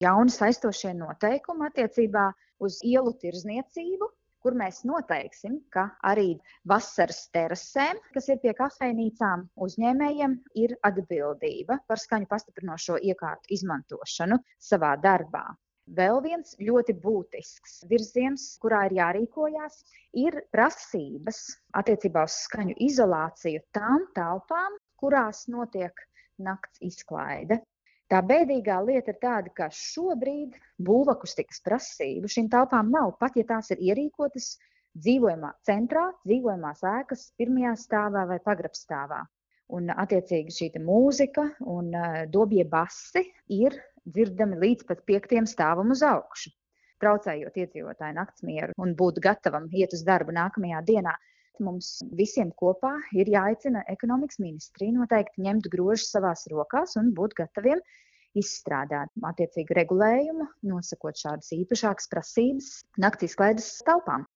jauni saistošie noteikumi attiecībā uz ielu tirdzniecību, kur mēs noteiksim, ka arī vasaras terasēm, kas ir pie kafejnīcām, uzņēmējiem ir atbildība par skaņu pastiprinošo iekārtu izmantošanu savā darbā. Vēl viens ļoti būtisks virziens, kurā ir jārīkojās, ir prasības attiecībā uz skaņu izolāciju tām telpām, kurās notiek nakts izklaide. Tā bēdīgā lieta ir tāda, ka šobrīd būvakustikas prasību šīm telpām nav, pat ja tās ir ierīkotas dzīvojamā centrā, dzīvojamās ēkas pirmajā stāvā vai pagrabstāvā. Un attiecīgi šī mūzika un dobie basi ir dzirdami līdz pat 5. stāvam uz augšu, traucējot iedzīvotāju naktsmieru un būt gatavam iet uz darbu nākamajā dienā. Mums visiem kopā ir jāaicina ekonomikas ministrija noteikti ņemt grožus savās rokās un būt gataviem izstrādāt attiecīgu regulējumu, nosakot šādas īpašākas prasības nakts izklaides telpām.